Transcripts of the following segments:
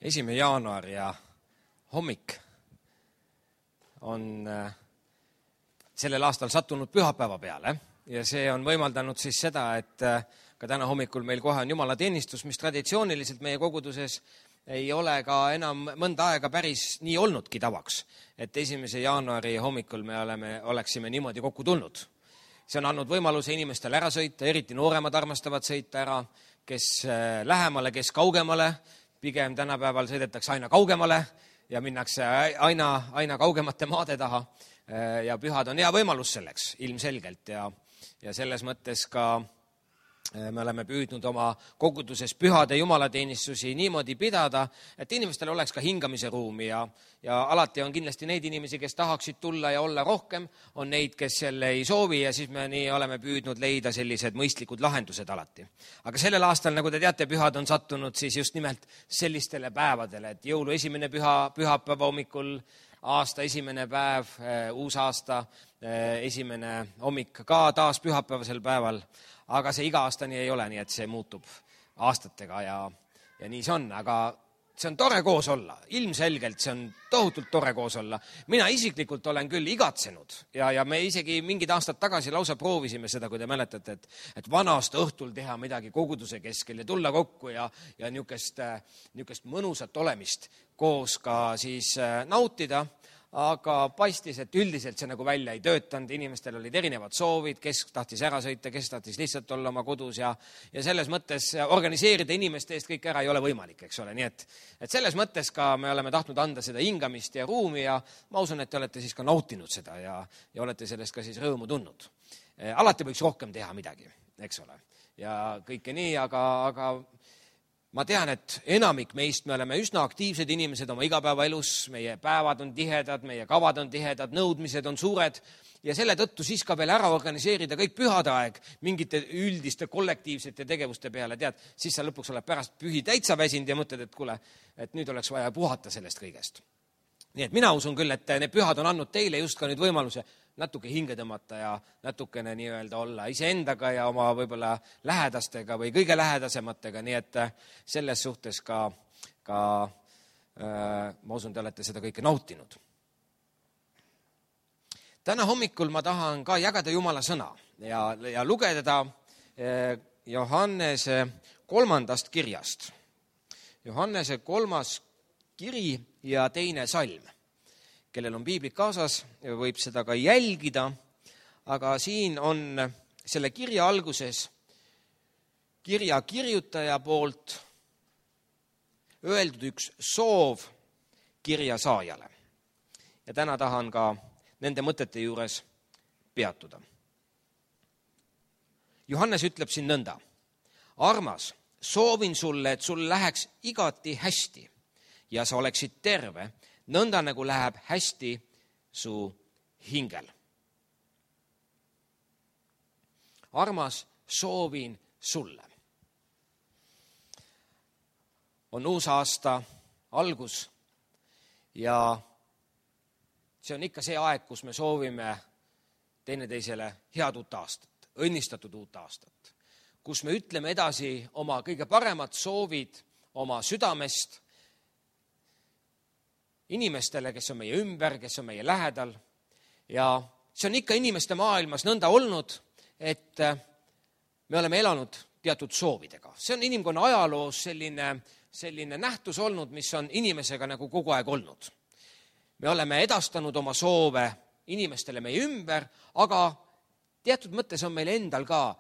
1. jaanuar ja hommik on sellel aastal sattunud pühapäeva peale ja see on võimaldanud siis seda, et ka täna hommikul meil kohe on jumalateenistus, mis traditsiooniliselt meie koguduses ei ole ka enam mõnda aega päris nii olnudki tavaks, et 1. jaanuari hommikul me oleksime niimoodi kokku tulnud. See on andnud võimaluse inimestel ära sõita, eriti nooremad armastavad sõita ära, kes lähemale, kes kaugemale, pigem tänapäeval sõidetakse aina kaugemale ja minnakse aina kaugemate maade taha ja pühad on hea võimalus selleks ilmselgelt ja selles mõttes ka me oleme püüdnud oma koguduses pühade jumalateenistusi niimoodi pidada, et inimestel oleks ka hingamise ruumi ja alati on kindlasti neid inimesi, kes tahaksid tulla ja olla rohkem, on neid, kes selle ei soovi ja siis me nii oleme püüdnud leida sellised mõistlikud lahendused alati. Aga sellel aastal, nagu te teate, pühad on sattunud siis just nimelt sellistele päevadele, et jõulu esimene pühapäeva hommikul, aasta esimene päev, uusaasta esimene hommik ka taas pühapäevasel päeval, aga see iga aasta nii ei ole, nii et see muutub aastatega ja nii see on, aga see on tore koos olla, ilmselgelt see on tohutult tore koos olla. Mina isiklikult olen küll igatsenud ja me isegi mingid aastad tagasi lausa proovisime seda, kui te mäletate, et vanast õhtul teha midagi koguduse keskel ja tulla kokku ja niukest mõnusat olemist koos ka siis nautida. Aga paistis, et üldiselt see nagu välja ei töötanud, inimestel olid erinevad soovid, kes tahtis ära sõita, kes tahtis lihtsalt olla oma kodus ja selles mõttes organiseerida inimeste eest kõik ära ei ole võimalik, eks ole. Nii et selles mõttes ka me oleme tahtnud anda seda hingamist ja ruumi ja ma usun, et te olete siis ka nautinud seda ja olete sellest ka siis rõõmu tundnud. Alati võiks rohkem teha midagi, eks ole. Ja kõike nii, aga ma tean, et enamik meist, me oleme üsna aktiivsed inimesed oma igapäevaelus, meie päevad on tihedad, meie kavad on tihedad, nõudmised on suured ja selle tõttu siis ka veel ära organiseerida kõik pühade aeg mingite üldiste kollektiivsete tegevuste peale, tead, siis sa lõpuks oled pärast pühi täitsa väsinud ja mõtled, et kuule, et nüüd oleks vaja puhata sellest kõigest. Nii et mina usun küll, et need pühad on andnud teile just ka nüüd võimaluse natuke hinge tõmmata ja natukene nii-öelda olla iseendaga ja oma võib-olla lähedastega või kõige lähedasematega, nii et selles suhtes ka ma usun, te olete seda kõike nautinud. Täna hommikul ma tahan ka jagada Jumala sõna ja lugeda Johannese 3. kirjast. Johannese 3. kiri ja 2. salm. Kellel on piiblik kaasas, võib seda ka jälgida, aga siin on selle kirja alguses kirja kirjutaja poolt öeldud üks soov kirja saajale. Ja täna tahan ka nende mõtete juures peatuda. Johannes ütleb siin nõnda. Armas, soovin sulle, et sul läheks igati hästi ja sa oleksid terve, nõnda nagu läheb hästi su hingel. Armas, soovin sulle. On uus aasta algus ja see on ikka see aeg, kus me soovime teineteisele head uut aastat, õnnistatud uut aastat, kus me ütleme edasi oma kõige paremad soovid oma südamest inimestele, kes on meie ümber, kes on meie lähedal ja see on ikka inimeste maailmas nõnda olnud, et me oleme elanud teatud soovidega. See on inimkonna ajaloos selline nähtus olnud, mis on inimesega nagu kogu aeg olnud. Me oleme edastanud oma soove inimestele meie ümber, aga teatud mõttes on meil endal ka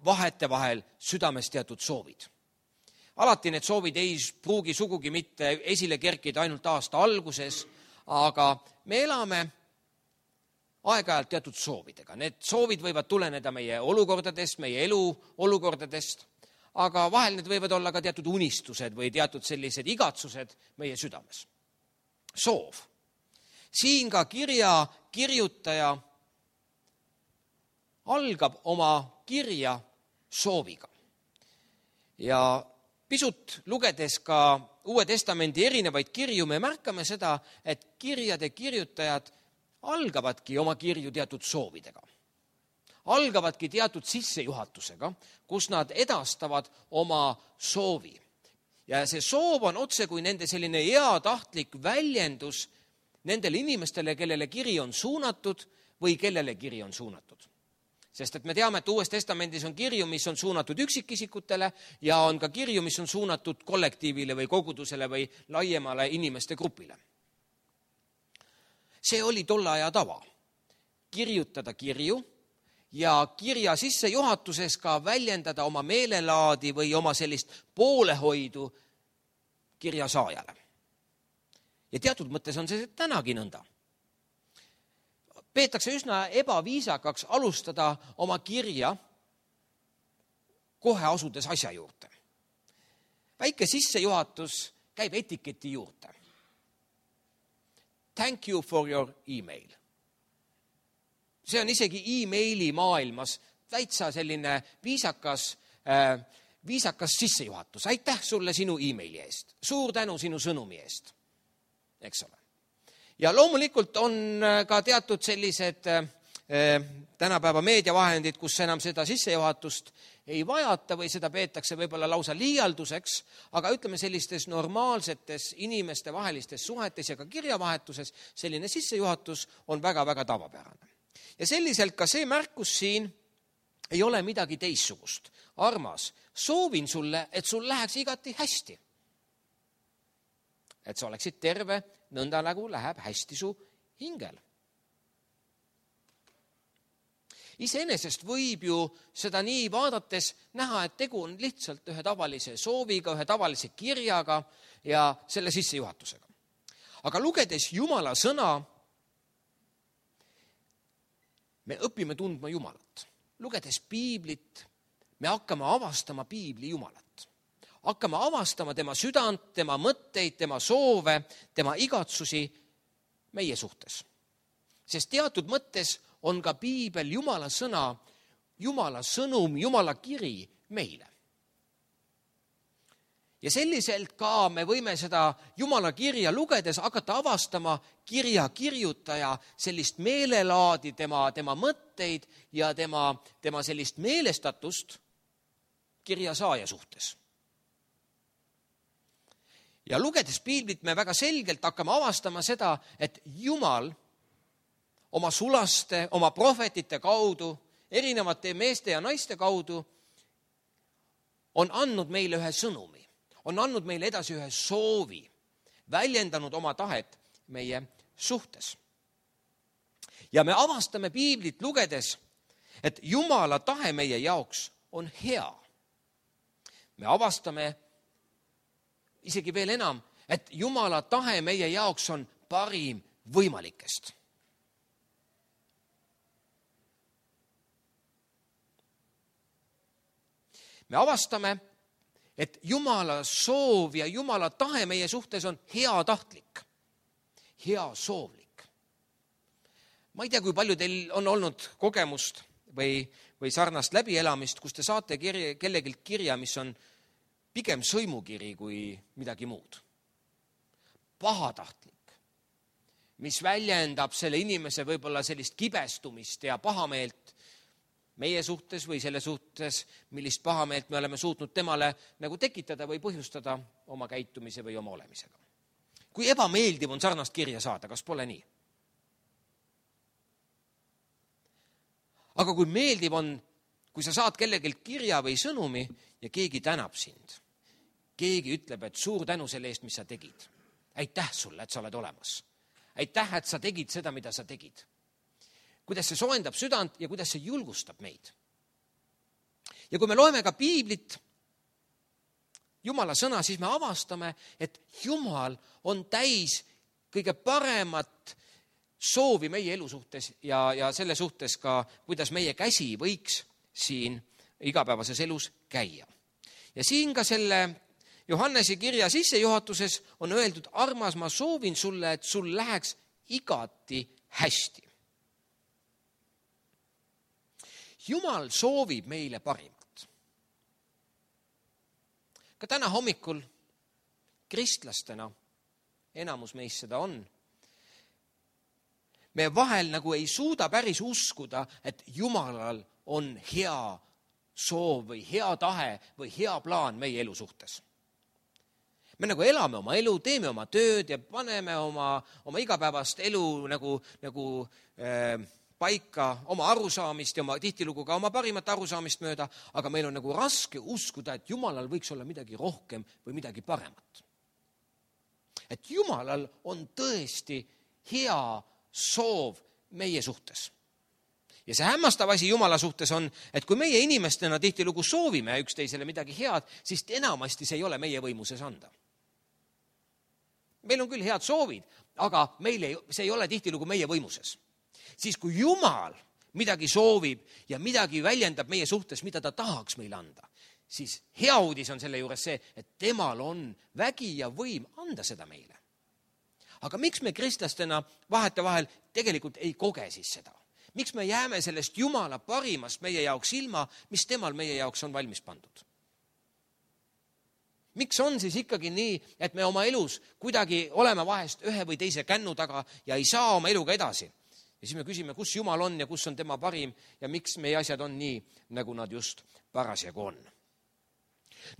vahetevahel südames teatud soovid. Alati need soovid ei pruugi sugugi mitte esile kerkida ainult aasta alguses, aga me elame aeg-ajalt teatud soovidega. Need soovid võivad tuleneda meie olukordadest, meie elu olukordadest, aga vahel need võivad olla ka teatud unistused või teatud sellised igatsused meie südames. Soov. Siin ka kirja kirjutaja algab oma kirja sooviga. Ja pisut lugedes ka Uue Testamendi erinevaid kirju, me märkame seda, et kirjade kirjutajad algavadki oma kirju teatud soovidega. Algavadki teatud sissejuhatusega, kus nad edastavad oma soovi. Ja see soov on otse kui nende selline heatahtlik väljendus nendele inimestele, kellele kiri on suunatud või kellele kiri on suunatud. Sest et me teame, et Uues Testamendis on kirju, mis on suunatud üksikisikutele ja on ka kirju, mis on suunatud kollektiivile või kogudusele või laiemale inimeste grupile. See oli tolle aja tava. Kirjutada kirju ja kirja sissejuhatuses ka väljendada oma meelelaadi või oma sellist poolehoidu kirja saajale. Ja teatud mõttes on see tänagi nõnda. Peetakse üsna ebaviisakaks alustada oma kirja kohe asudes asja juurde. Väike sissejuhatus käib etiketi juurde. Thank you for your email. See on isegi e-maili maailmas täitsa selline viisakas sissejuhatus. Aitäh sulle sinu e-maili eest. Suur tänu sinu sõnumi eest. Eks ole. Ja loomulikult on ka teatud sellised tänapäeva meediavahendid, kus enam seda sissejuhatust ei vajata või seda peetakse võib-olla lausa liialduseks, aga ütleme sellistes normaalsetes inimeste vahelistes suhetes ja ka kirjavahetuses selline sissejuhatus on väga-väga tavapärane. Ja selliselt ka see märkus siin ei ole midagi teissugust. Armas, soovin sulle, et sul läheks igati hästi. Et sa oleksid terve, nõnda nagu läheb hästi su hingel. Iseenesest võib ju seda nii vaadates näha, et tegu on lihtsalt ühe tavalise sooviga, ühe tavalise kirjaga ja selle sissejuhatusega. Aga lugedes Jumala sõna, me õpime tundma Jumalat. Lugedes piiblit, me hakkame avastama piibli Jumalat. Hakkame avastama tema südant, tema mõtteid, tema soove, tema igatsusi meie suhtes. Sest teatud mõttes on ka piibel Jumala sõna, Jumala sõnum, Jumala kiri meile. Ja selliselt ka me võime seda Jumala kirja lugedes hakata avastama kirja kirjutaja sellist meelelaadi, tema mõtteid ja tema sellist meelestatust kirja saaja suhtes. Ja lugedes piiblit me väga selgelt hakkame avastama seda, et Jumal oma sulaste, oma prohvetite kaudu, erinevate meeste ja naiste kaudu on andnud meile ühe sõnumi, on andnud meile edasi ühe soovi, väljendanud oma tahet meie suhtes. Ja me avastame piiblit lugedes, et Jumala tahe meie jaoks on hea. Me avastame isegi veel enam, et Jumala tahe meie jaoks on parim võimalikest. Me avastame, et Jumala soov ja Jumala tahe meie suhtes on heatahtlik, heasoovlik. Ma ei tea, kui palju teil on olnud kogemust või sarnast läbielamist, kus te saate kellegilt kirja, mis on pigem sõimukiri kui midagi muud. Pahatahtlik, mis väljendab selle inimese võib-olla sellist kibestumist ja pahameelt meie suhtes või selle suhtes, millist pahameelt me oleme suutnud temale nagu tekitada või põhjustada oma käitumise või oma olemisega. Kui ebameeldiv on sarnast kirja saada, kas pole nii? Aga kui meeldiv on, kui sa saad kellegilt kirja või sõnumi ja keegi tänab sind, keegi ütleb, et suur tänu selle eest, mis sa tegid. Aitäh sulle, et sa oled olemas. Aitäh, et sa tegid seda, mida sa tegid. Kuidas see soojendab südant ja kuidas see julgustab meid. Ja kui me loeme ka piiblit, Jumala sõna, siis me avastame, et Jumal on täis kõige paremat soovi meie elu suhtes ja selle suhtes ka, kuidas meie käsi võiks siin igapäevases elus käia. Ja siin ka selle Johannese kirja sissejuhatuses on öeldud, armas, ma soovin sulle, et sul läheks igati hästi. Jumal soovib meile parimat. Ka täna hommikul kristlastena, enamus meist seda on, me vahel nagu ei suuda päris uskuda, et Jumalal on hea soov või hea tahe või hea plaan meie elu suhtes. Me nagu elame oma elu, teeme oma tööd ja paneme oma igapäevast elu nagu paika oma arusaamist ja tihtilugu ka oma parimat arusaamist mööda, aga meil on nagu raske uskuda, et Jumalal võiks olla midagi rohkem või midagi paremat. Et Jumalal on tõesti hea soov meie suhtes. Ja see hämmastav asi Jumala suhtes on, et kui meie inimestena tihtilugu soovime üksteisele midagi head, siis enamasti see ei ole meie võimuses anda. Meil on küll head soovid, aga see ei ole tihtilugu meie võimuses. Siis kui Jumal midagi soovib ja midagi väljendab meie suhtes, mida ta tahaks meile anda, siis hea uudis on selle juures see, et temal on vägi ja võim anda seda meile. Aga miks me kristlastena vahetevahel tegelikult ei koge siis seda? Miks me jääme sellest Jumala parimast meie jaoks ilma, mis temal meie jaoks on valmis pandud? Miks on siis ikkagi nii, et me oma elus kuidagi oleme vahest ühe või teise kännu taga ja ei saa oma eluga edasi? Ja siis me küsime, kus Jumal on ja kus on tema parim ja miks meie asjad on nii, nagu nad just parasjagu on.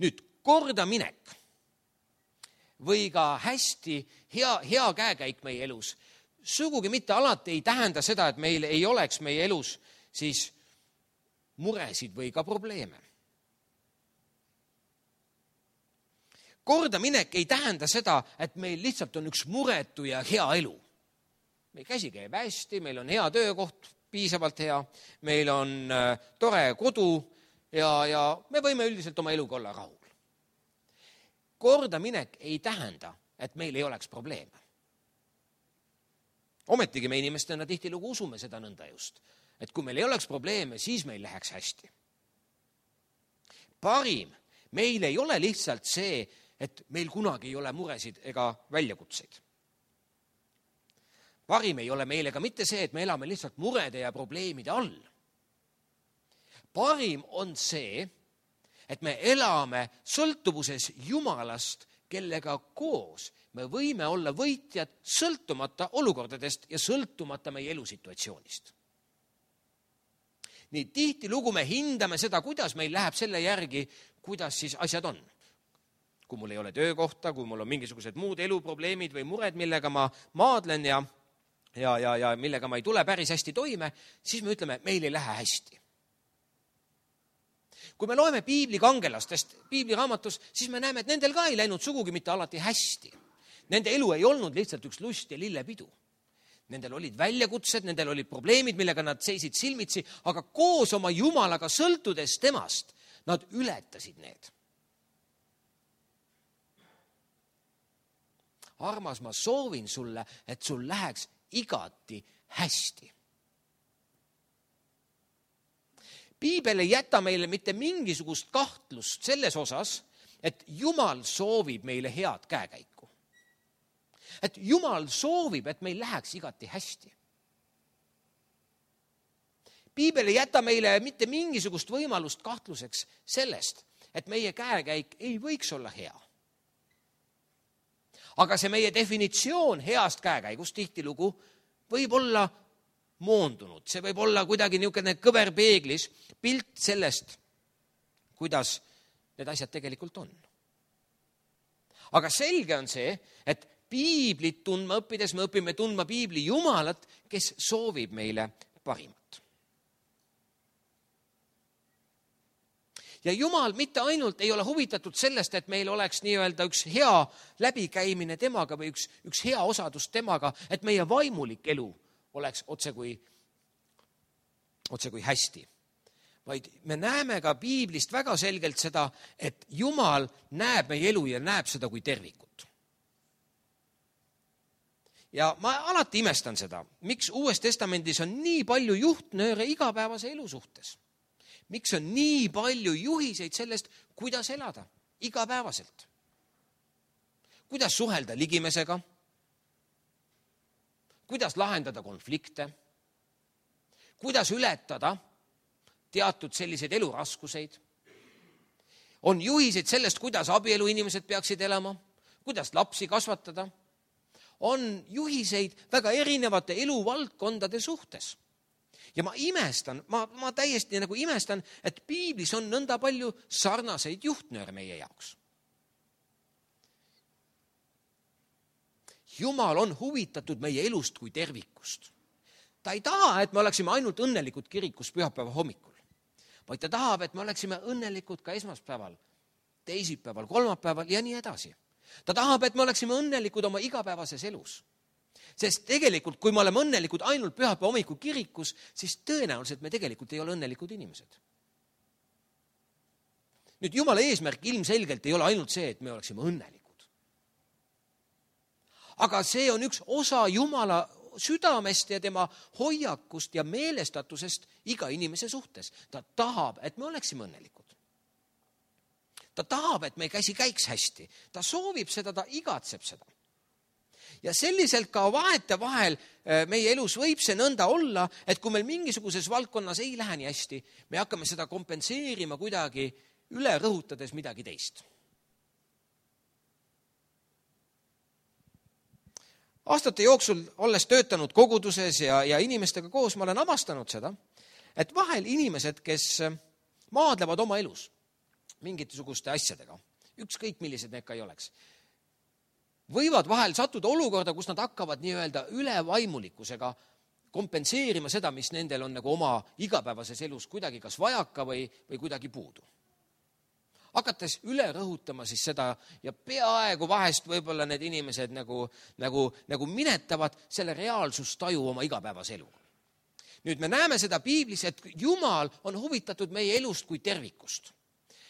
Nüüd, kordaminek või ka hästi hea käekäik meie elus sugugi mitte alati ei tähenda seda, et meil ei oleks meie elus siis muresid või ka probleeme. Kordaminek ei tähenda seda, et meil lihtsalt on üks muretu ja hea elu. Meil käsi käib hästi, meil on hea töökoht, piisavalt hea, meil on tore kodu ja me võime üldiselt oma eluga olla rahul. Kordaminek ei tähenda, et meil ei oleks probleeme. Ometigi me inimestena tihtilugu usume seda nõnda just, et kui meil ei oleks probleeme, siis meil läheks hästi. Parim meil ei ole lihtsalt see, et meil kunagi ei ole muresid ega väljakutseid. Parim ei ole meile ka mitte see, et me elame lihtsalt murede ja probleemide all. Parim on see, et me elame sõltuvuses Jumalast, kellega koos me võime olla võitjad sõltumata olukordadest ja sõltumata meie elusituatsioonist. Nii tihtilugu me hindame seda, kuidas meil läheb selle järgi, kuidas siis asjad on. Kui mul ei ole töökohta, kui mul on mingisugused muud eluprobleemid või mured, millega ma maadlen ja millega ma ei tule päris hästi toime, siis me ütleme, meil ei lähe hästi. Kui me loeme piibli kangelastest piibliraamatus, siis me näeme, et nendel ka ei läinud sugugi mitte alati hästi. Nende elu ei olnud lihtsalt üks lust ja lillepidu. Nendel olid väljakutsed, nendel olid probleemid, millega nad seisid silmitsi, aga koos oma Jumalaga sõltudes temast, nad ületasid need. Armas, ma soovin sulle, et sul läheks igati hästi. Piibel ei jäta meile mitte mingisugust kahtlust selles osas, et Jumal soovib meile head käekäiku. Et Jumal soovib, et meil läheks igati hästi. Piibel ei jäta meile mitte mingisugust võimalust kahtluseks sellest, et meie käekäik ei võiks olla hea. Aga see meie definitsioon heast käekäigust tihtilugu võib olla moondunud. See võib olla kuidagi niisugune kõverpeeglis pilt sellest, kuidas need asjad tegelikult on. Aga selge on see, et piiblit tundma õppides me õpime tundma piibli Jumalat, kes soovib meile parimat. Ja Jumal mitte ainult ei ole huvitatud sellest, et meil oleks nii-öelda üks hea läbikäimine temaga või üks hea osadus temaga, et meie vaimulik elu oleks otse kui hästi. Vaid me näeme ka piiblist väga selgelt seda, et Jumal näeb meie elu ja näeb seda kui tervikut. Ja ma alati imestan seda, miks Uues Testamendis on nii palju juhtnööre igapäevase elu suhtes. Miks on nii palju juhiseid sellest, kuidas elada igapäevaselt? Kuidas suhelda ligimesega? Kuidas lahendada konflikte? Kuidas ületada teatud selliseid eluraskuseid? On juhiseid sellest, kuidas abielu inimesed peaksid elama? Kuidas lapsi kasvatada? On juhiseid väga erinevate eluvaldkondade suhtes. Ja ma imestan, ma täiesti nagu imestan, et piiblis on nõnda palju sarnaseid juhtnööre meie jaoks. Jumal on huvitatud meie elust kui tervikust. Ta ei taha, et me oleksime ainult õnnelikud kirikus pühapäeva hommikul, vaid ta tahab, et me oleksime õnnelikud ka esmaspäeval, teisipäeval, kolmapäeval ja nii edasi. Ta tahab, et me oleksime õnnelikud oma igapäevases elus. Sest tegelikult, kui me oleme õnnelikud ainult pühapäeva hommikul kirikus, siis tõenäoliselt me tegelikult ei ole õnnelikud inimesed. Nüüd Jumala eesmärk ilmselgelt ei ole ainult see, et me oleksime õnnelikud. Aga see on üks osa Jumala südamest ja tema hoiakust ja meelestatusest iga inimese suhtes. Ta tahab, et me oleksime õnnelikud. Ta tahab, et meie käsi käiks hästi. Ta soovib seda, ta igatseb seda. Ja selliselt ka vahetevahel meie elus võib see nõnda olla, et kui meil mingisuguses valdkonnas ei lähe nii hästi, me hakkame seda kompenseerima kuidagi üle rõhutades midagi teist. Aastate jooksul, olles töötanud koguduses ja inimestega koos, ma olen avastanud seda, et vahel inimesed, kes maadlevad oma elus mingisuguste asjadega, ükskõik millised need ka ei oleks, võivad vahel sattuda olukorda, kus nad hakkavad nii-öelda ülevaimulikkusega kompenseerima seda, mis nendel on nagu oma igapäevases elus kuidagi kas vajaka või kuidagi puudu. Hakates üle rõhutama siis seda ja peaaegu vahest võib-olla need inimesed nagu minetavad selle reaalsustaju oma igapäevase eluga. Nüüd me näeme seda piiblis, et Jumal on huvitatud meie elust kui tervikust.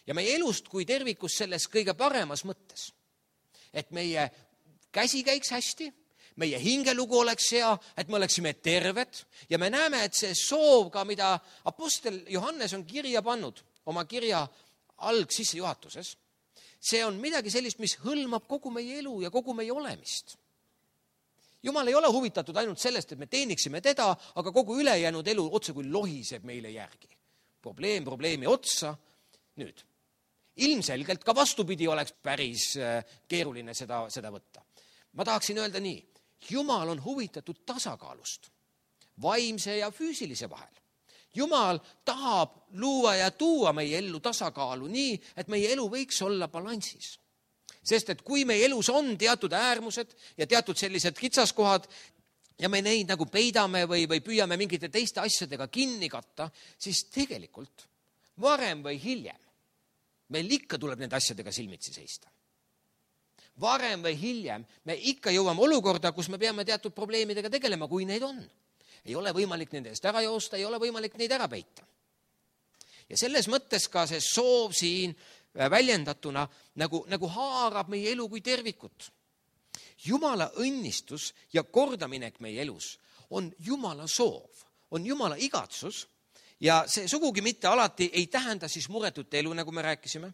Ja meie elust kui tervikust selles kõige paremas mõttes. Et meie käsi käiks hästi, meie hingelugu oleks hea, et me oleksime terved. Ja me näeme, et see soov ka, mida apostel Johannes on kirja pannud oma kirja algsissejuhatuses, see on midagi sellist, mis hõlmab kogu meie elu ja kogu meie olemist. Jumal ei ole huvitatud ainult sellest, et me teeniksime teda, aga kogu ülejäänud elu otse kui lohiseb meile järgi. Probleem probleemi otsa. Nüüd, ilmselgelt ka vastupidi oleks päris keeruline seda võtta. Ma tahaksin öelda nii, Jumal on huvitatud tasakaalust, vaimse ja füüsilise vahel. Jumal tahab luua ja tuua meie ellu tasakaalu nii, et meie elu võiks olla balansis. Sest et kui meie elus on teatud äärmused ja teatud sellised kitsaskohad ja me neid nagu peidame või püüame mingite teiste asjadega kinni katta, siis tegelikult varem või hiljem meil ikka tuleb nende asjadega silmitsi seista. Varem või hiljem me ikka jõuame olukorda, kus me peame teatud probleemidega tegelema, kui neid on. Ei ole võimalik nende eest ära joosta, ei ole võimalik neid ära peita. Ja selles mõttes ka see soov siin väljendatuna nagu haarab meie elu kui tervikut. Jumala õnnistus ja kordaminek meie elus on Jumala soov, on Jumala igatsus ja see sugugi mitte alati ei tähenda siis muretut elu, nagu me rääkisime,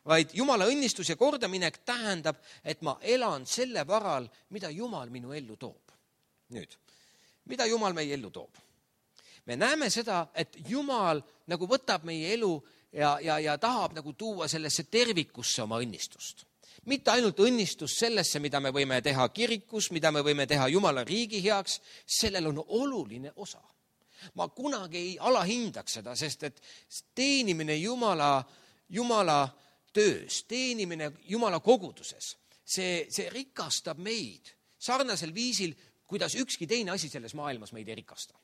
vaid Jumala õnnistus ja kordaminek tähendab, et ma elan selle varal, mida Jumal minu ellu toob. Nüüd, mida Jumal meie ellu toob? Me näeme seda, et Jumal nagu võtab meie elu ja tahab nagu tuua sellesse tervikusse oma õnnistust. Mitte ainult õnnistust sellesse, mida me võime teha kirikus, mida me võime teha Jumala riigi heaks, sellel on oluline osa. Ma kunagi ei alahindaks seda, sest et teenimine Jumala töös, teenimine Jumala koguduses, see rikastab meid sarnasel viisil, kuidas ükski teine asi selles maailmas meid ei rikasta.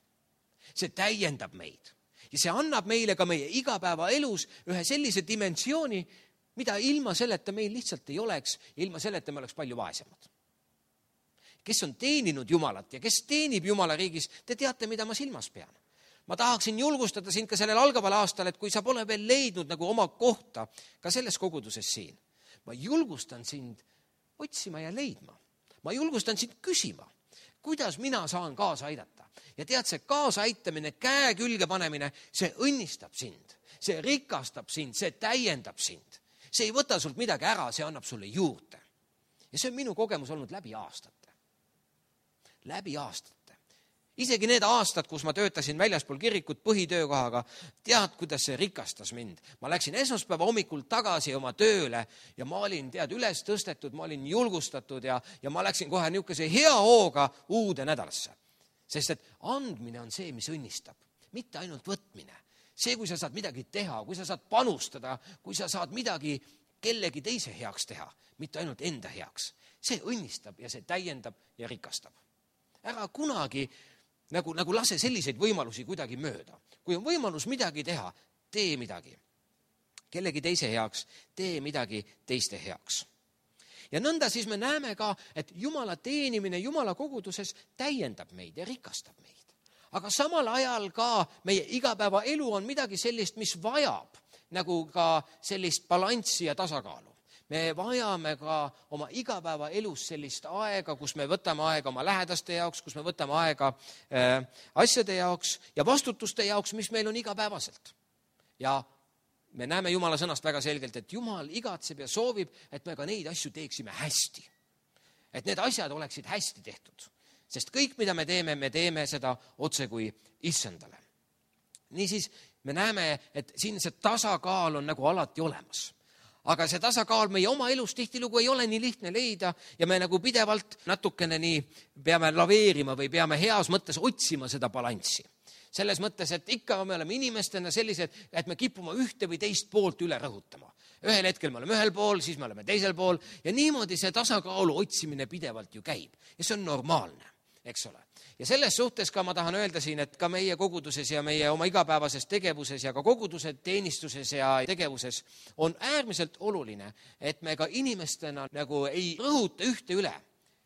See täiendab meid ja see annab meile ka meie igapäeva elus ühe sellise dimensiooni, mida ilma selleta meil lihtsalt ei oleks ja ilma selleta me oleks palju vaesemad. Kes on teeninud Jumalat ja kes teenib Jumala riigis, te teate, mida ma silmas pean. Ma tahaksin julgustada sind ka sellel algaval aastal, et kui sa pole veel leidnud nagu oma kohta ka selles koguduses siin, ma julgustan sind otsima ja leidma. Ma julgustan sind küsima, kuidas mina saan kaasa aidata. Ja tead, see kaasa aitamine, käe külge panemine, see õnnistab sind, see rikastab sind, see täiendab sind. See ei võta sult midagi ära, see annab sulle juurde. Ja see on minu kogemus olnud läbi aastate. Läbi aastate. Isegi need aastad, kus ma töötasin väljaspool kirikut põhitöökohaga, tead, kuidas see rikastas mind. Ma läksin esmaspäeva hommikul tagasi oma tööle ja ma olin, üles tõstetud, ma olin julgustatud ja ma läksin kohe niisuguse hea hooga uude nädalasse. Sest et andmine on see, mis õnnistab, mitte ainult võtmine. See, kui sa saad midagi teha, kui sa saad panustada, kui sa saad midagi kellegi teise heaks teha, mitte ainult enda heaks. see õnnistab ja see täiendab ja rikastab. Ära kunagi nagu lase selliseid võimalusi kuidagi mööda. Kui on võimalus midagi teha, tee midagi. Kellegi teise heaks, tee midagi teiste heaks. Ja nõnda siis me näeme ka, et Jumala teenimine Jumala koguduses täiendab meid ja rikastab meid. Aga samal ajal ka meie igapäevaelu on midagi sellist, mis vajab nagu ka sellist balanssi ja tasakaalu. Me vajame ka oma igapäevaelus sellist aega, kus me võtame aega oma lähedaste jaoks, kus me võtame aega asjade jaoks ja vastutuste jaoks, mis meil on igapäevaselt. Ja me näeme Jumala sõnast väga selgelt, et Jumal igatseb ja soovib, et me ka neid asju teeksime hästi. Et need asjad oleksid hästi tehtud. Sest kõik, mida me teeme seda otse kui issandale. Niisiis me näeme, et siin see tasakaal on nagu alati olemas. Aga see tasakaal meie oma elus tihtilugu ei ole nii lihtne leida ja me nagu pidevalt natukene nii peame laveerima või peame heas mõttes otsima seda balanssi. Selles mõttes, et ikka me oleme inimestena sellised, et me kipume ühte või teist poolt üle rõhutama. Ühel hetkel me oleme ühel pool, siis me oleme teisel pool ja niimoodi see tasakaalu otsimine pidevalt ju käib. Ja see on normaalne, eks ole. Ja selles suhtes ka ma tahan öelda siin, et ka meie koguduses ja meie oma igapäevases tegevuses ja ka koguduse teenistuses ja tegevuses on äärmiselt oluline, et me ka inimestena nagu ei rõhuta ühte üle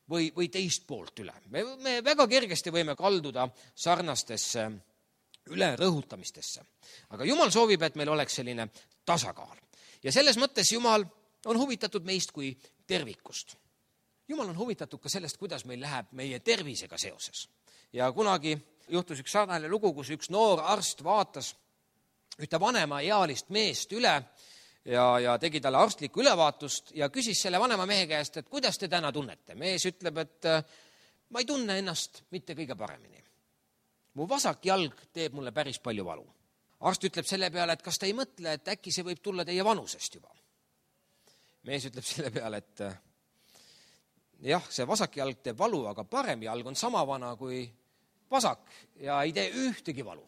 või teist poolt üle. Me väga kergesti võime kalduda sarnastesse ülerõhutamistesse. Aga Jumal soovib, et meil oleks selline tasakaal. Ja selles mõttes Jumal on huvitatud meist kui tervikust. Jumal on huvitatud ka sellest, kuidas meil läheb meie tervisega seoses. Ja kunagi juhtus üks sarnane lugu, kus üks noor arst vaatas ühte vanema ealist meest üle ja tegi talle arstlikku ülevaatust ja küsis selle vanema mehe käest, et kuidas te täna tunnete. Mees ütleb, et ma ei tunne ennast mitte kõige paremini. Mu vasak jalg teeb mulle päris palju valu. Arst ütleb selle peale, et kas te ei mõtle, et äkki see võib tulla teie vanusest juba. Mees ütleb selle peale, et jah, see vasak jalg teeb valu, aga parem jalg on sama vana kui vasak ja ei tee ühtegi valu.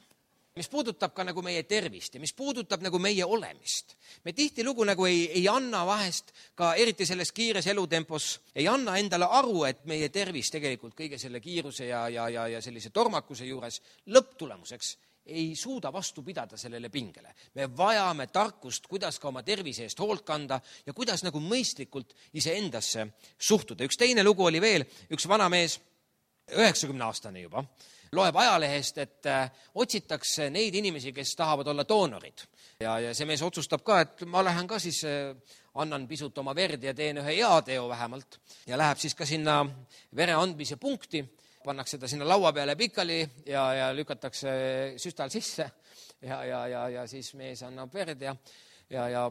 Mis puudutab ka nagu meie tervist ja mis puudutab nagu meie olemist. Me tihtilugu nagu ei anna vahest ka eriti selles kiires elutempos, ei anna endale aru, et meie tervis tegelikult kõige selle kiiruse ja sellise tormakuse juures lõpptulemuseks ei suuda vastu pidada sellele pingele. Me vajame tarkust, kuidas ka oma tervise eest hoolt kanda ja kuidas nagu mõistlikult iseendasse suhtuda. Üks teine lugu oli veel, üks vanamees, 90-aastane juba, loeb ajalehest, et otsitakse neid inimesi, kes tahavad olla doonorid. Ja see mees otsustab ka, et ma lähen ka siis, annan pisut oma verd ja teen ühe heateo vähemalt. Ja läheb siis ka sinna vere andmise punkti, pannakse ta sinna laua peale pikali ja lükatakse süstal sisse ja siis mees annab verd ja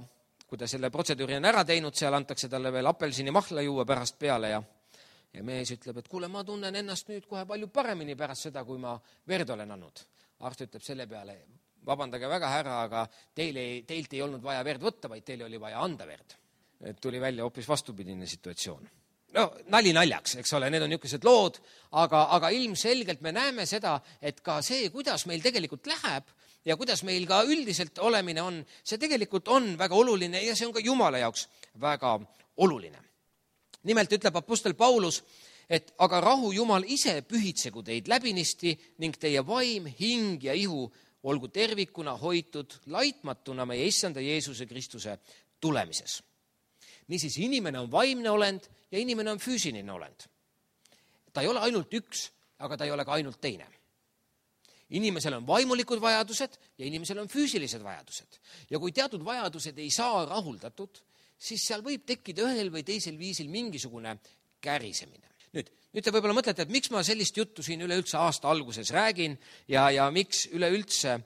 kui ta selle protseduuri on ära teinud, seal antakse talle veel apelsini mahla juua pärast peale ja mees ütleb, et kuule, ma tunnen ennast nüüd kohe palju paremini pärast seda, kui ma verd olen andnud. Arst ütleb selle peale, vabandage väga härra, aga teilt ei olnud vaja verd võtta, vaid teile oli vaja anda verd. Et tuli välja hoopis vastupidine situatsioon. No, nali naljaks, eks ole, need on niisugused lood, aga ilmselgelt me näeme seda, et ka see, kuidas meil tegelikult läheb ja kuidas meil ka üldiselt olemine on, see tegelikult on väga oluline ja see on ka Jumala jaoks väga oluline. Nimelt ütleb apostel Paulus, et aga rahu Jumal ise pühitsegu teid läbinisti ning teie vaim, hing ja ihu olgu tervikuna hoitud laitmatuna meie issanda Jeesuse Kristuse tulemises. Niisiis, inimene on vaimne olend ja inimene on füüsiline olend. Ta ei ole ainult üks, aga ta ei ole ka ainult teine. Inimesel on vaimulikud vajadused ja inimesel on füüsilised vajadused. Ja kui teatud vajadused ei saa rahuldatud, siis seal võib tekkida ühel või teisel viisil mingisugune kärisemine. Nüüd te võib-olla mõtlete, et miks ma sellist juttu siin üleüldse aasta alguses räägin ja miks üleüldse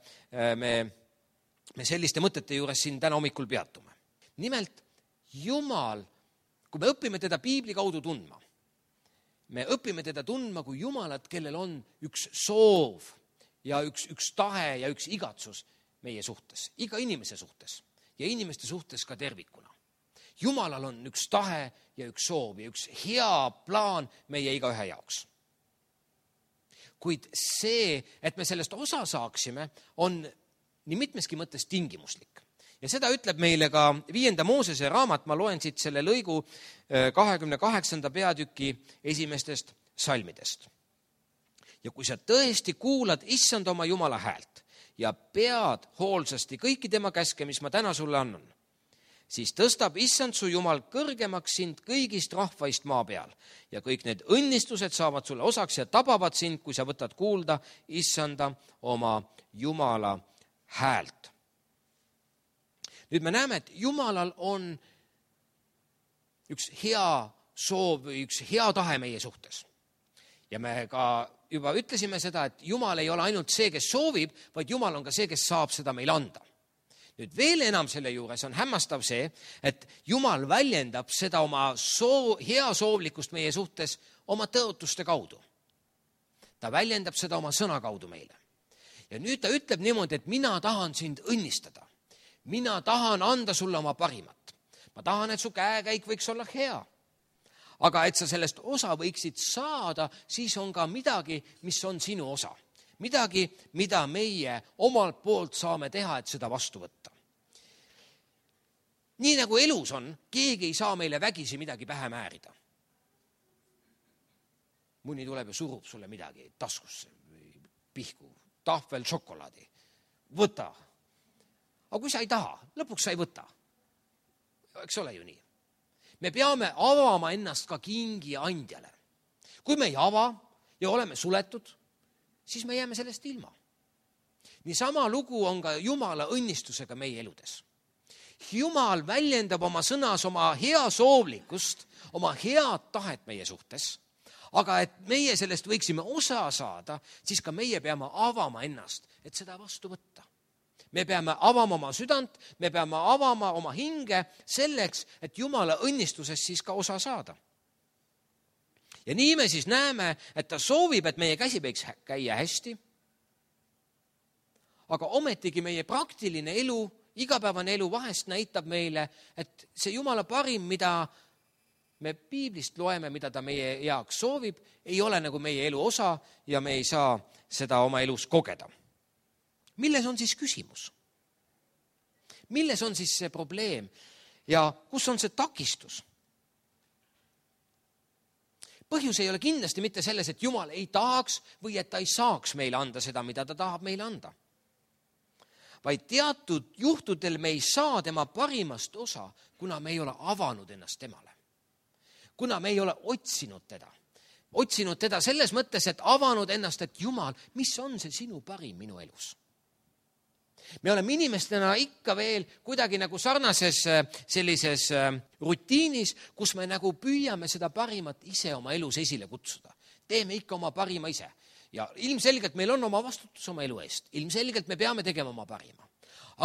me selliste mõtete juures siin täna hommikul peatume. Nimelt, Jumal, kui me õpime teda piibli kaudu tundma, me õpime teda tundma kui Jumalat, kellel on üks soov ja üks tahe ja üks igatsus meie suhtes, iga inimese suhtes ja inimeste suhtes ka tervikuna. Jumalal on üks tahe ja üks soov ja üks hea plaan meie igaühe jaoks. Kuid see, et me sellest osa saaksime, on nii mitmeski mõttes tingimuslik. Ja seda ütleb meile ka 5. Moosese raamat, ma loen siit selle lõigu 28. peatüki esimestest salmidest. Ja kui sa tõesti kuulad issand oma Jumala häält ja pead hoolsasti kõiki tema käske, mis ma täna sulle annan, siis tõstab issand su Jumal kõrgemaks sind kõigist rahvaist maa peal ja kõik need õnnistused saavad sulle osaks ja tabavad sind, kui sa võtad kuulda issanda oma Jumala häält. Nüüd me näeme, et Jumalal on üks hea soov või üks hea tahe meie suhtes. Ja me ka juba ütlesime seda, et Jumal ei ole ainult see, kes soovib, vaid Jumal on ka see, kes saab seda meile anda. Nüüd veel enam selle juures on hämmastav see, et Jumal väljendab seda oma hea soovlikkust meie suhtes oma tõotuste kaudu. Ta väljendab seda oma sõna kaudu meile. Ja nüüd ta ütleb niimoodi, et mina tahan sind õnnistada. Mina tahan anda sulle oma parimat. Ma tahan, et su käekäik võiks olla hea. Aga et sa sellest osa võiksid saada, siis on ka midagi, mis on sinu osa. Midagi, mida meie omalt poolt saame teha, et seda vastu võtta. Nii nagu elus on, keegi ei saa meile vägisi midagi pähe määrida. Mõni tuleb ja surub sulle midagi taskusse, pihku, tahvel šokolaadi. Võta. Aga kui sa ei taha, lõpuks sa ei võta. Eks ole ju nii. Me peame avama ennast ka kingi andjale. Kui me ei ava ja oleme suletud, siis me jääme sellest ilma. Niisama lugu on ka Jumala õnnistusega meie eludes. Jumal väljendab oma sõnas oma hea soovlikkust, oma head tahet meie suhtes, aga et meie sellest võiksime osa saada, siis ka meie peame avama ennast, et seda vastu võtta. Me peame avama oma südant, me peame avama oma hinge selleks, et Jumala õnnistusest siis ka osa saada. Ja nii me siis näeme, et ta soovib, et meie käsi võiks käia hästi, aga ometigi meie praktiline elu, igapäevane elu vahest näitab meile, et see Jumala parim, mida me piiblist loeme, mida ta meie jaoks soovib, ei ole nagu meie elu osa ja me ei saa seda oma elus kogeda. Milles on siis küsimus? Milles on siis see probleem ja kus on see takistus? Põhjus ei ole kindlasti mitte selles, et Jumal ei tahaks või et ta ei saaks meile anda seda, mida ta tahab meile anda. Vaid teatud juhtudel me ei saa tema parimast osa, kuna me ei ole avanud ennast temale. Kuna me ei ole otsinud teda selles mõttes, et avanud ennast, et Jumal, mis on see sinu parim minu elus? Me oleme inimestena ikka veel kuidagi nagu sarnases sellises rutiinis, kus me nagu püüame seda parimat ise oma elus esile kutsuda. Teeme ikka oma parima ise. Ja ilmselgelt meil on oma vastutus oma elu eest. Ilmselgelt me peame tegema oma parima.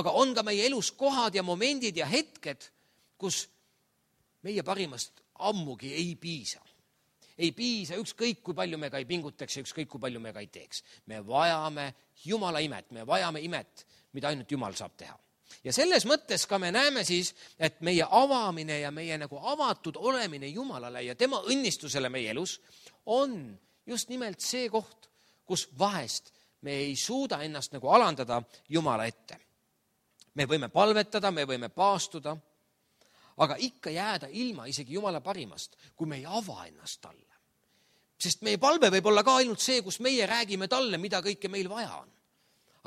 Aga on ka meie elus kohad ja momendid ja hetked, kus meie parimast ammugi ei piisa. Ei piisa ükskõik, kui palju me ka ei pingutaks ja ükskõik, kui palju me ka ei teeks. Me vajame Jumala imet, me vajame imet, mida ainult Jumal saab teha. Ja selles mõttes ka me näeme siis, et meie avamine ja meie nagu avatud olemine Jumalale ja tema õnnistusele meie elus on just nimelt see koht, kus vahest me ei suuda ennast nagu alandada Jumala ette. Me võime palvetada, me võime paastuda, aga ikka jääda ilma isegi Jumala parimast, kui me ei ava ennast talle. Sest meie palve võib olla ka ainult see, kus meie räägime talle, mida kõike meil vaja on.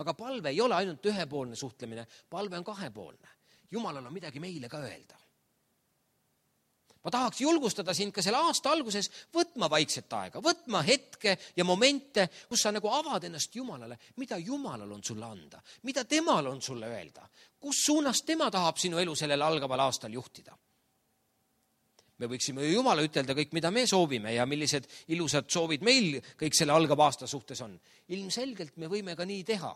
Aga palve ei ole ainult ühepoolne suhtlemine, palve on kahepoolne. Jumalal on midagi meile ka öelda. Ma tahaks julgustada sind ka selle aasta alguses võtma vaikset aega, võtma hetke ja momente, kus sa nagu avad ennast Jumalale, mida Jumalal on sulle anda, mida temal on sulle öelda, kus suunas tema tahab sinu elu sellel algaval aastal juhtida. Me võiksime ju Jumala ütelda kõik, mida me soovime ja millised ilusad soovid meil kõik selle algava aasta suhtes on. Ilmselgelt me võime ka nii teha,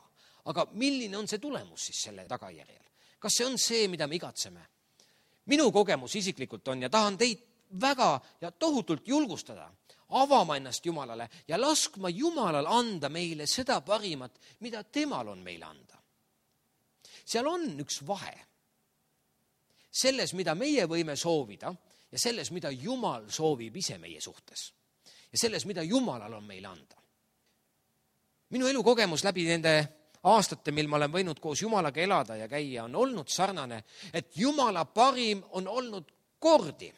aga milline on see tulemus siis selle tagajärjel? Kas see on see, mida me igatseme? Minu kogemus isiklikult on ja tahan teid väga ja tohutult julgustada, avama ennast Jumalale ja laskma Jumalal anda meile seda parimat, mida temal on meile anda. Seal on üks vahe selles, mida meie võime soovida ja selles, mida Jumal soovib ise meie suhtes ja selles, mida Jumalal on meile anda. Minu elukogemus läbi nende aastate, mil ma olen võinud koos Jumalaga elada ja käia, on olnud sarnane, et Jumala parim on olnud kordi,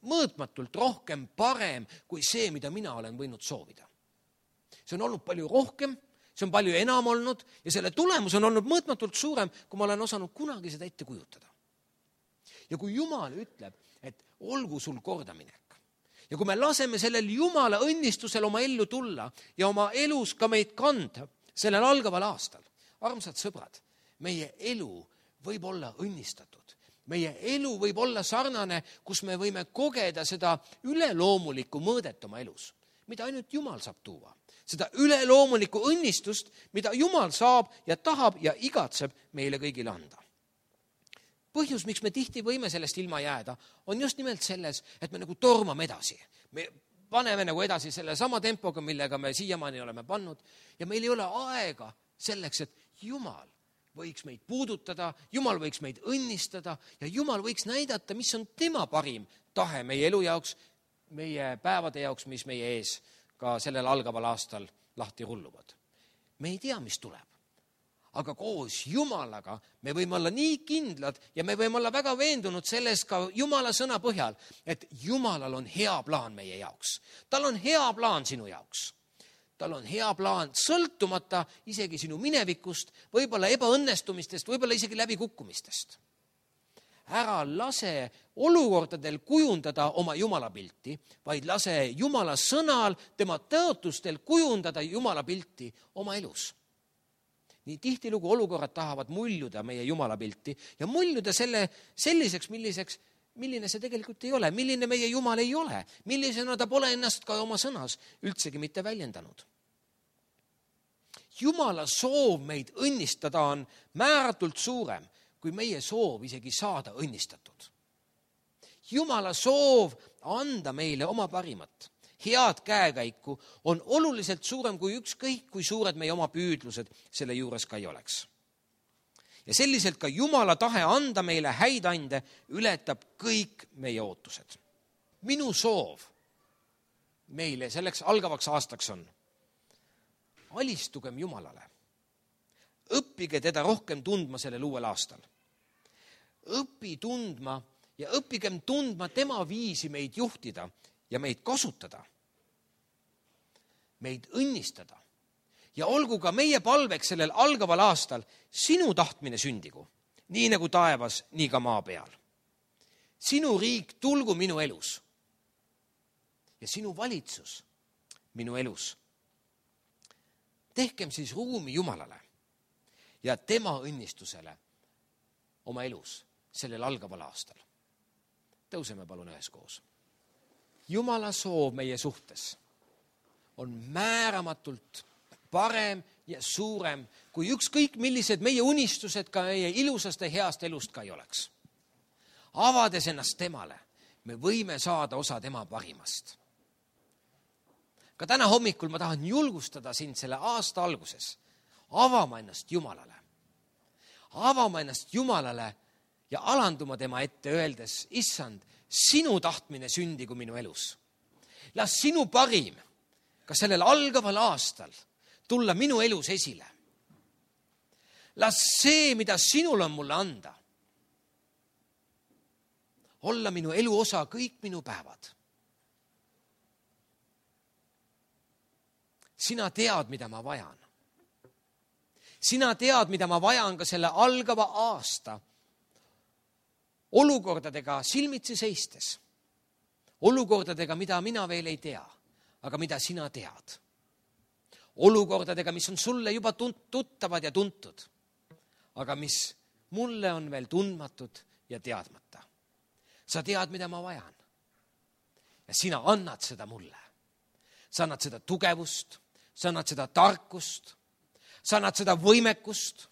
mõõtmatult rohkem parem kui see, mida mina olen võinud soovida. See on olnud palju rohkem, see on palju enam olnud ja selle tulemus on olnud mõõtmatult suurem, kui ma olen osanud kunagi seda ette kujutada. Ja kui Jumal ütleb, et olgu sul kordaminek ja kui me laseme sellel Jumala õnnistusel oma ellu tulla ja oma elus ka meid kanda sellel algaval aastal, armsad sõbrad, meie elu võib olla õnnistatud. Meie elu võib olla sarnane, kus me võime kogeda seda üleloomulikku mõõdet oma elus, mida ainult Jumal saab tuua. Seda üleloomulikku õnnistust, mida Jumal saab ja tahab ja igatseb meile kõigile anda. Põhjus, miks me tihti võime sellest ilma jääda, on just nimelt selles, et me nagu tormame edasi. Me paneme nagu edasi selle sama tempoga, millega me siiamaani oleme pannud ja meil ei ole aega selleks, et Jumal võiks meid puudutada, Jumal võiks meid õnnistada ja Jumal võiks näidata, mis on tema parim tahe meie elu jaoks, meie päevade jaoks, mis meie ees ka sellel algaval aastal lahti rulluvad. Me ei tea, mis tuleb. Aga koos Jumalaga me võime olla nii kindlad ja me võime olla väga veendunud selles ka Jumala sõna põhjal, et Jumalal on hea plaan meie jaoks. Tal on hea plaan sinu jaoks. Tal on hea plaan sõltumata isegi sinu minevikust, võib-olla ebaõnnestumistest, võib-olla isegi läbikukkumistest. Ära lase olukordadel kujundada oma Jumala pilti, vaid lase Jumala sõnal, tema tõotustel kujundada Jumala pilti oma elus. Nii tihtilugu olukorrad tahavad muljuda meie Jumala pilti ja muljuda selliseks, milline see tegelikult ei ole, milline meie Jumal ei ole, millisena ta pole ennast ka oma sõnas üldsegi mitte väljendanud. Jumala soov meid õnnistada on määratult suurem, kui meie soov isegi saada õnnistatud. Jumala soov anda meile oma parimat, head käekäiku on oluliselt suurem kui ükskõik, kui suured meie oma püüdlused selle juures ka ei oleks. Ja selliselt ka Jumala tahe anda meile häid ande ületab kõik meie ootused. Minu soov meile selleks algavaks aastaks on: alistugem Jumalale. Õppige teda rohkem tundma sellel uuel aastal. Õpi tundma ja õppigem tundma tema viisi meid juhtida ja meid kasutada, meid õnnistada. Ja olgu ka meie palveks sellel algaval aastal sinu tahtmine sündigu, nii nagu taevas, nii ka maa peal. Sinu riik tulgu minu elus ja sinu valitsus minu elus. Tehkem siis ruumi Jumalale ja tema õnnistusele oma elus sellel algaval aastal. Tõuseme palun üheskoos. Jumala soov meie suhtes on määramatult parem ja suurem, kui ükskõik millised meie unistused ka meie ilusast ja heast elust ka ei oleks. Avades ennast temale, me võime saada osa tema parimast. Ka täna hommikul ma tahan julgustada sind selle aasta alguses avama ennast Jumalale. Avama ennast Jumalale ja alanduma tema ette öeldes: Issand, sinu tahtmine sündigu minu elus. Las sinu parim ka sellel algaval aastal tulla minu elus esile. Las see, mida sinul on mulle anda, olla minu elu osa kõik minu päevad. Sina tead, mida ma vajan. Sina tead, mida ma vajan ka selle algava aasta olukordadega silmitsi seistes. Olukordadega, mida mina veel ei tea, aga mida sina tead. Olukordadega, mis on sulle juba tuttavad ja tuntud, aga mis mulle on veel tundmatud ja teadmata. Sa tead, mida ma vajan. Ja sina annad seda mulle. Sa annad seda tugevust, sa annad seda tarkust, sa annad seda võimekust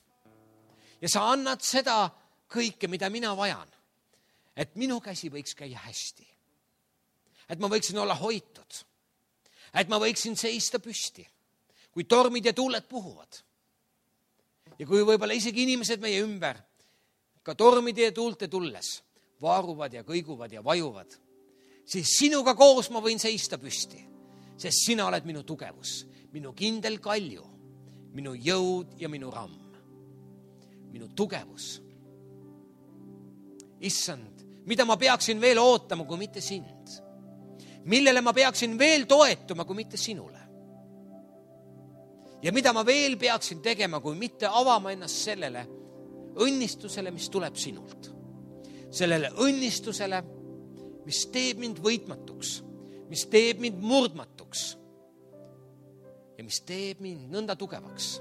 ja sa annad seda kõike, mida mina vajan. Et minu käsi võiks käia hästi. Et ma võiksin olla hoitud. Et ma võiksin seista püsti, kui tormid ja tuuled puhuvad. Ja kui võib-olla isegi inimesed meie ümber ka tormide ja tuulte tulles vaaruvad ja kõiguvad ja vajuvad, siis sinuga koos ma võin seista püsti, sest sina oled minu tugevus, minu kindel kalju, minu jõud ja minu ramm, minu tugevus. Issand, mida ma peaksin veel ootama, kui mitte sind? Millele ma peaksin veel toetuma, kui mitte sinule? Ja mida ma veel peaksin tegema, kui mitte avama ennast sellele õnnistusele, mis tuleb sinult? Sellele õnnistusele, mis teeb mind võitmatuks, mis teeb mind murdmatuks ja mis teeb mind nõnda tugevaks,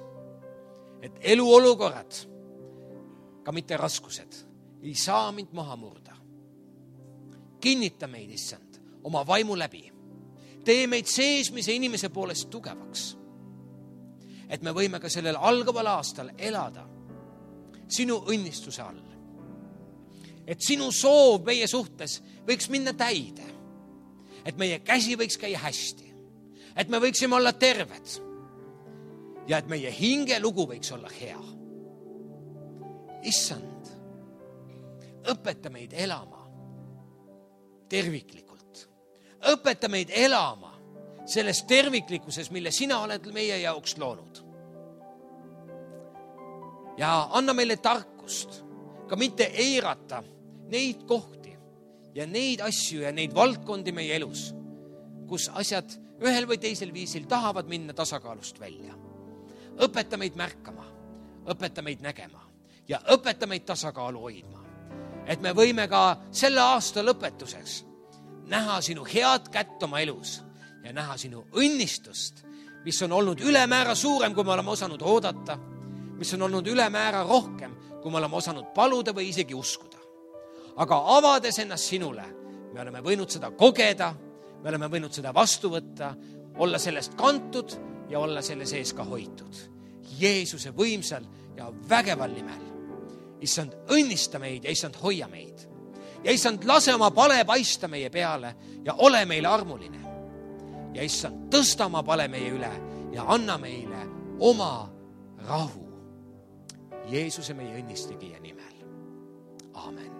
et eluolukorrad, ka mitte raskused, ei saa mind maha murda. Kinnita meid, Issand, oma vaimu läbi. Tee meid seesmise inimese poolest tugevaks, et me võime ka sellel algaval aastal elada sinu õnnistuse all. Et sinu soov meie suhtes võiks minna täide. Et meie käsi võiks käia hästi. Et me võiksime olla terved. Ja et meie hingelugu võiks olla hea. Issand, õpeta meid elama terviklikult. Õpeta meid elama selles terviklikkuses, mille sina oled meie jaoks loonud. Ja anna meile tarkust ka mitte eirata neid kohti ja neid asju ja neid valdkondi meie elus, kus asjad ühel või teisel viisil tahavad minna tasakaalust välja. Õpeta meid märkama, õpeta meid nägema ja õpeta meid tasakaalu hoidma. Et me võime ka selle aasta lõpetuseks näha sinu head kätt oma elus ja näha sinu õnnistust, mis on olnud ülemäära suurem, kui me oleme osanud oodata, mis on olnud ülemäära rohkem, kui me oleme osanud paluda või isegi uskuda. Aga avades ennast sinule, me oleme võinud seda kogeda, me oleme võinud seda vastu võtta, olla sellest kantud ja olla selle sees ka hoitud. Jeesuse võimsal ja vägeval nimel. Issand, õnnista meid ja Issand, hoia meid. Ja Issand, lase oma pale paista meie peale ja ole meile armuline. Ja Issand, tõsta oma pale meie üle ja anna meile oma rahu. Jeesuse meie õnnistegija nimel. Aamen.